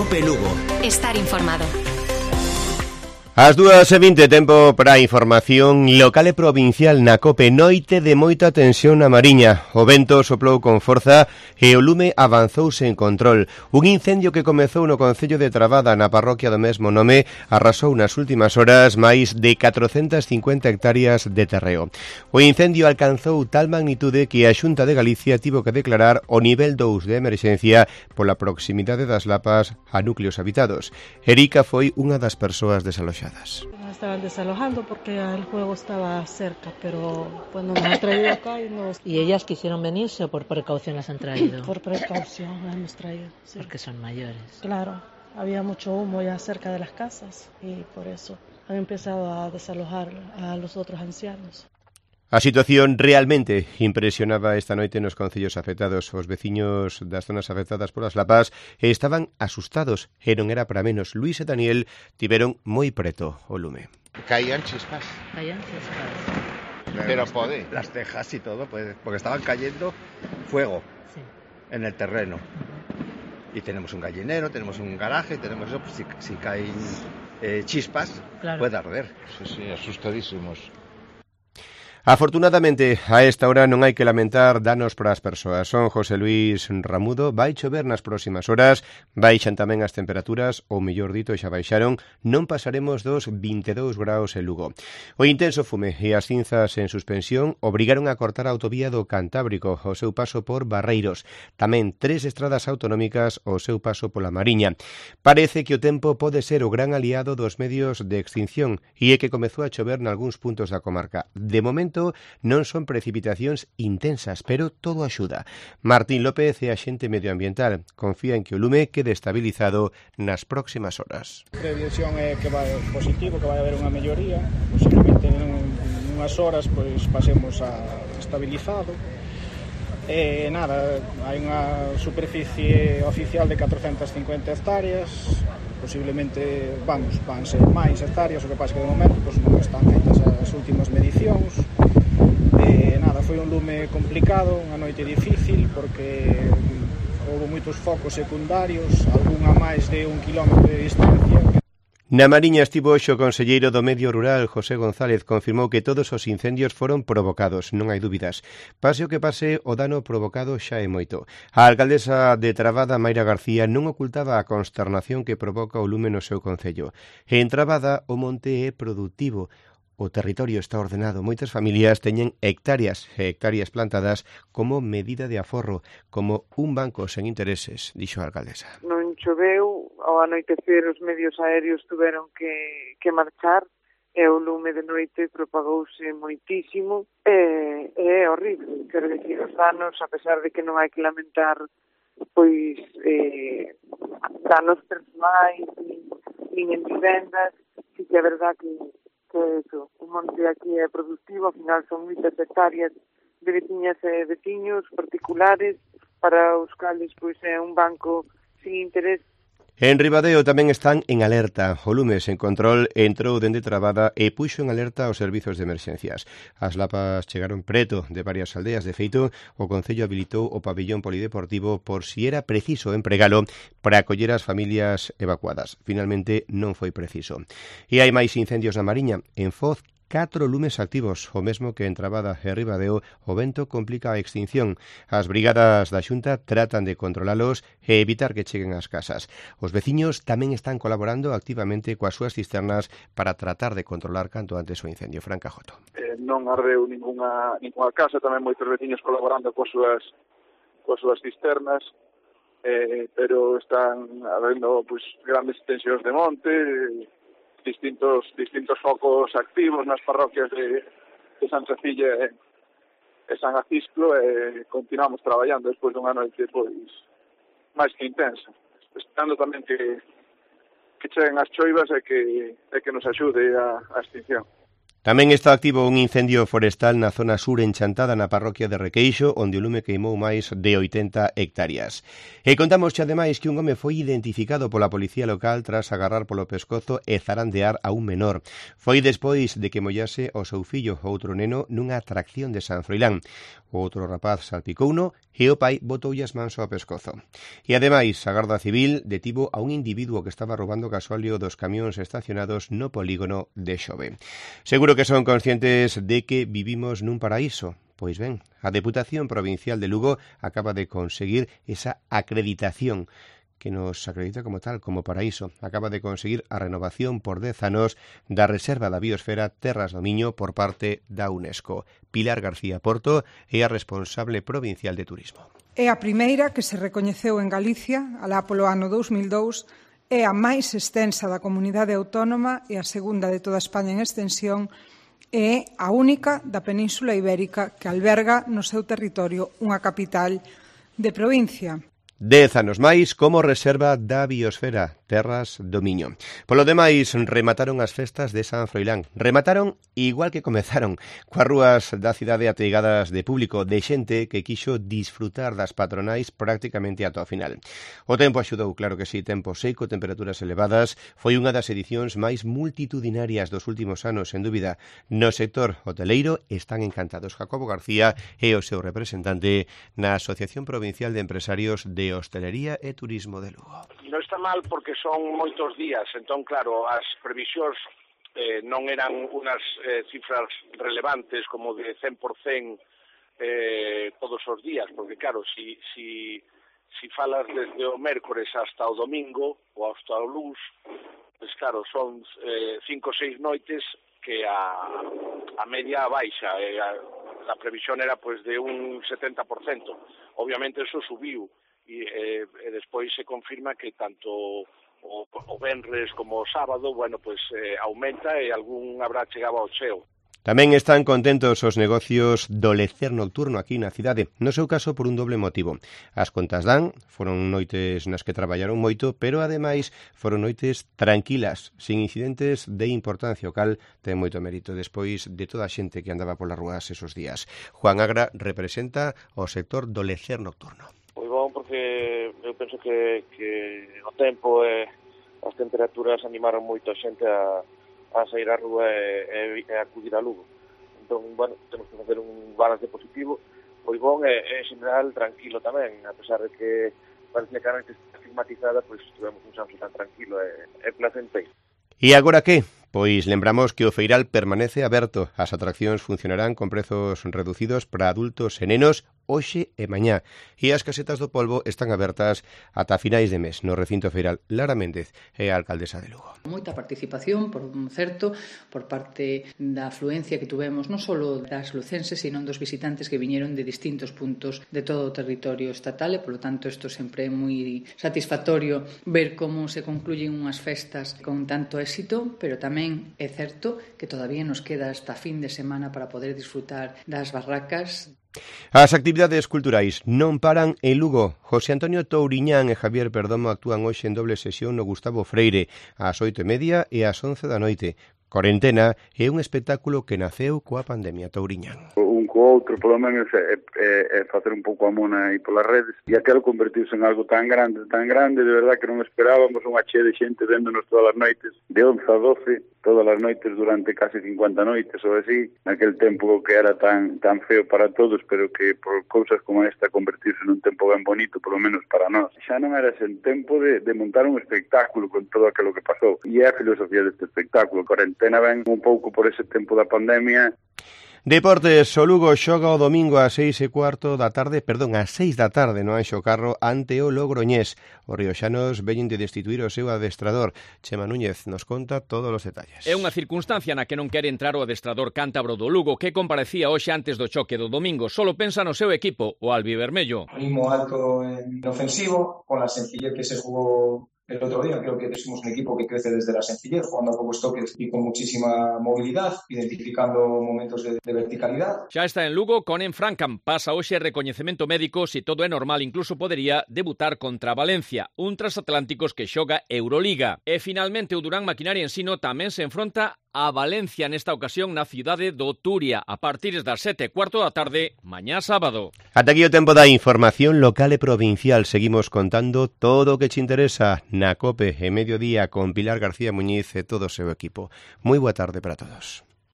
COPE Lugo. Estar informado. As 2:20, tempo para a información local e provincial na COPE. Noite de moita tensión na Mariña. O vento soplou con forza e o lume avanzou sen control. Un incendio que comezou no concello de Trabada, na parroquia do mesmo nome, arrasou nas últimas horas máis de 450 hectáreas de terreo. O incendio alcanzou tal magnitude que a Xunta de Galicia tivo que declarar o nivel 2 de emerxencia pola proximidade das lapas a núcleos habitados. Erika foi unha das persoas desaloxadas. Estaban desalojando porque el juego estaba cerca, pero pues nos han traído acá ¿Y ellas quisieron venirse o por precaución las han traído? Por precaución las hemos traído, sí. Porque son mayores. Claro, había mucho humo ya cerca de las casas y por eso han empezado a desalojar a los otros ancianos. A situación realmente impresionaba esta noite nos concellos afectados. Os veciños das zonas afectadas polas lapas estaban asustados e non era para menos. Luis e Daniel tiveron moi preto o lume. Caían chispas. Pero pode. Las tejas y todo, pues, porque estaban cayendo fuego en el terreno. Y tenemos un gallinero, tenemos un garaje, tenemos eso, pues, si caen chispas, claro, puede arder. Sí, asustadísimos. Afortunadamente, a esta hora non hai que lamentar danos para as persoas. Son José Luis Ramudo, vai chover nas próximas horas, baixan tamén as temperaturas, ou mellor dito, xa baixaron, non pasaremos dos 22 graus en Lugo. O intenso fume e as cinzas en suspensión obrigaron a cortar a autovía do Cantábrico ao seu paso por Barreiros. Tamén 3 estradas autonómicas ao seu paso pola Mariña. Parece que o tempo pode ser o gran aliado dos medios de extinción e é que comezou a chover nalgúns puntos da comarca. De momento, non son precipitacións intensas, pero todo axuda. Martín López é axente medioambiental. Confía en que o lume quede estabilizado nas próximas horas. A previsión é que vai positivo, que vai haber unha melloría. Posiblemente en unhas horas pois pasemos a estabilizado. Hai unha superficie oficial de 450 hectáreas. Posiblemente van ser máis hectáreas, o que pasa que de momento pois, non están feitas as últimas medicións. Foi un lume complicado, unha noite difícil porque houve moitos focos secundarios, algún a máis de 1 kilómetro de distancia. Na Mariña estivo hoxe o conselleiro do Medio Rural, José González, confirmou que todos os incendios foron provocados, non hai dúbidas. Pase o que pase, o dano provocado xa é moito. A alcaldesa de Trabada, Mayra García, non ocultaba a consternación que provoca o lume no seu concello. En Trabada, o monte é produtivo. O territorio está ordenado. Moitas familias teñen hectáreas e hectáreas plantadas como medida de aforro, como un banco sen intereses, dixo a alcaldesa. Non choveu, ao anoitecer os medios aéreos tuveron que marchar e o lume de noite propagouse moitísimo e é horrible. Quero dicir, os danos, a pesar de que non hai que lamentar pois danos persoais nin en vivendas, sí que é verdad que eso, o monte aquí é productivo, ao final son moitas hectáreas de veciñas e veciños particulares para os cales pois é un banco sin interés. En Ribadeo tamén están en alerta. O lume sen control entrou dende Trabada e puxo en alerta os servizos de emerxencias. As lapas chegaron preto de varias aldeas. De feito, o Concello habilitou o pabillón polideportivo por si era preciso empregalo para acoller as familias evacuadas. Finalmente non foi preciso. E hai máis incendios na Mariña. En Foz, 4 lumes activos, o mesmo que en Trabada e Ribadeo, o vento complica a extinción. As brigadas da Xunta tratan de controlalos e evitar que cheguen ás casas. Os veciños tamén están colaborando activamente coas súas cisternas para tratar de controlar canto antes o incendio. Fran Cajoto. Non ardeu ninguna casa, tamén moitos veciños colaborando coas súas cisternas, pero están habendo pues, grandes extensións de monte, distintos focos activos nas parroquias de San Cecilia e San Acisclo e continuamos traballando despois dunha noite pois máis que intensa, esperando tamén que cheguen as choivas e que nos axude a extinción. Tamén está activo un incendio forestal na zona sur enchantada na parroquia de Requeixo, onde o lume queimou máis de 80 hectáreas. E contamos xa ademais que un home foi identificado pola policía local tras agarrar polo pescozo e zarandear a un menor. Foi despois de que mollase o seu fillo, outro neno, nunha atracción de San Froilán. outro rapaz salpicouno e o pai botoulle as mans ao pescozo. E ademais, a Garda Civil detivo a un individuo que estaba roubando gasóleo dos camións estacionados no polígono de Xove. Seguro que son conscientes de que vivimos nun paraíso. Pois ben, a Deputación Provincial de Lugo acaba de conseguir esa acreditación que nos acredita como tal, como paraíso. Acaba de conseguir a renovación por 10 anos da Reserva da Biosfera Terras do Miño por parte da UNESCO. Pilar García Porto é a responsable provincial de turismo. É a primeira que se recoñeceu en Galicia, alá polo ano 2002, é a máis extensa da comunidade autónoma e a segunda de toda España en extensión, e a única da Península Ibérica que alberga no seu territorio unha capital de provincia. 10 anos máis como reserva da biosfera Terras do Miño. Polo demais, remataron as festas de San Froilán. Remataron igual que comezaron, coas rúas da cidade ateigadas de público, de xente que quixo disfrutar das patronais prácticamente ata o final. O tempo axudou, claro que sí, tempo seco, temperaturas elevadas. Foi unha das edicións máis multitudinarias dos últimos anos, sen dúbida. No sector hoteleiro están encantados. Jacobo García é o seu representante na Asociación Provincial de Empresarios de Hostelería e Turismo de Lugo. Non está mal porque son moitos días, entón claro, as previsións non eran unhas cifras relevantes como de 100% todos os días, porque claro, si falas desde o mércores hasta o domingo ou hasta o luns, pues claro, son 5 ou 6 noites que a media baixa, a previsión era pues de un 70%, obviamente eso subiu, e despois se confirma que tanto o venres como o sábado, bueno, pues aumenta e algún habrá chegado ao cheo. Tamén están contentos os negocios do lecer nocturno aquí na cidade, no seu caso por un doble motivo. As contas dan, foron noites nas que traballaron moito, pero ademais foron noites tranquilas, sin incidentes de importancia, o cal ten moito mérito despois de toda a xente que andaba polas rúas esos días. Juan Agra representa o sector do lecer nocturno. Moi bom, porque eu penso que o tempo e as temperaturas animaron moito a xente a sair á rúa e acudir a Lugo. Entón, bueno, temos que facer un balance positivo, moi bon e en general tranquilo tamén, a pesar de que parece que a noite está estigmatizada, pois tivemos un Santo tan tranquilo e placenteiro. E agora que? Pois lembramos que o feiral permanece aberto. As atraccións funcionarán con prezos reducidos para adultos e nenos hoxe e mañá. E as casetas do polvo están abertas ata finais de mes no recinto feiral. Lara Méndez é a alcaldesa de Lugo. Moita participación, por certo, por parte da afluencia que tuvemos non só das lucenses, sino dos visitantes que viñeron de distintos puntos de todo o territorio estatal e, polo tanto, isto sempre é moi satisfactorio ver como se concluyen unhas festas con tanto éxito, pero tamén é certo que todavía nos queda hasta fin de semana para poder disfrutar das barracas. As actividades culturais non paran en Lugo. José Antonio Touriñán e Javier Perdomo actúan hoxe en doble sesión no Gustavo Freire, ás 8:30 e ás 11 da noite. Corentena é un espectáculo que naceu coa pandemia. Touriñán. Un co outro, polo menos, é facer un pouco a mona aí polas redes, e aquelo convertiuse en algo tan grande, de verdad que non esperábamos unha chea de xente véndonos todas as noites, de 11 a 12, todas as noites durante casi 50 noites ou así, naquele tempo que era tan feo para todos, pero que por cousas como esta convertirse nun tempo ben bonito, polo menos para nós. Xa non era ese tempo de montar un espectáculo con todo aquilo que pasou, e é a filosofía deste espectáculo. Corentena ven un pouco por ese tempo da pandemia. Deportes, o Lugo xoga o domingo ás 6:15 da tarde, ás 6 da tarde no Anxo Carro ante o Logroñés. Os rioxanos veñen de destituir o seu adestrador. Chema Núñez nos conta todos os detalles. É unha circunstancia na que non quere entrar o adestrador cántabro do Lugo, que comparecía hoxe antes do choque do domingo. Solo pensa no seu equipo, o albivermello. Ritmo alto en ofensivo, con la sencillez que se jugó el otro día. Creo que somos un equipo que crece desde la sencillez, jugando a pocos toques y con muchísima movilidad, identificando momentos de verticalidad. Xa está en Lugo con Enfrancan. Pasa hoxe recoñecemento médico. Si todo é normal, incluso podería debutar contra Valencia, un transatlánticos que xoga Euroliga. E finalmente o Durán Maquinaria Ensino tamén se enfronta a Valencia nesta ocasión na cidade do Turia a partir das 7:15 da tarde mañá sábado. Ata aquí o tempo da información local e provincial. Seguimos contando todo o que te interesa na COPE e Mediodía con Pilar García Muñiz e todo o seu equipo. Moi boa tarde para todos.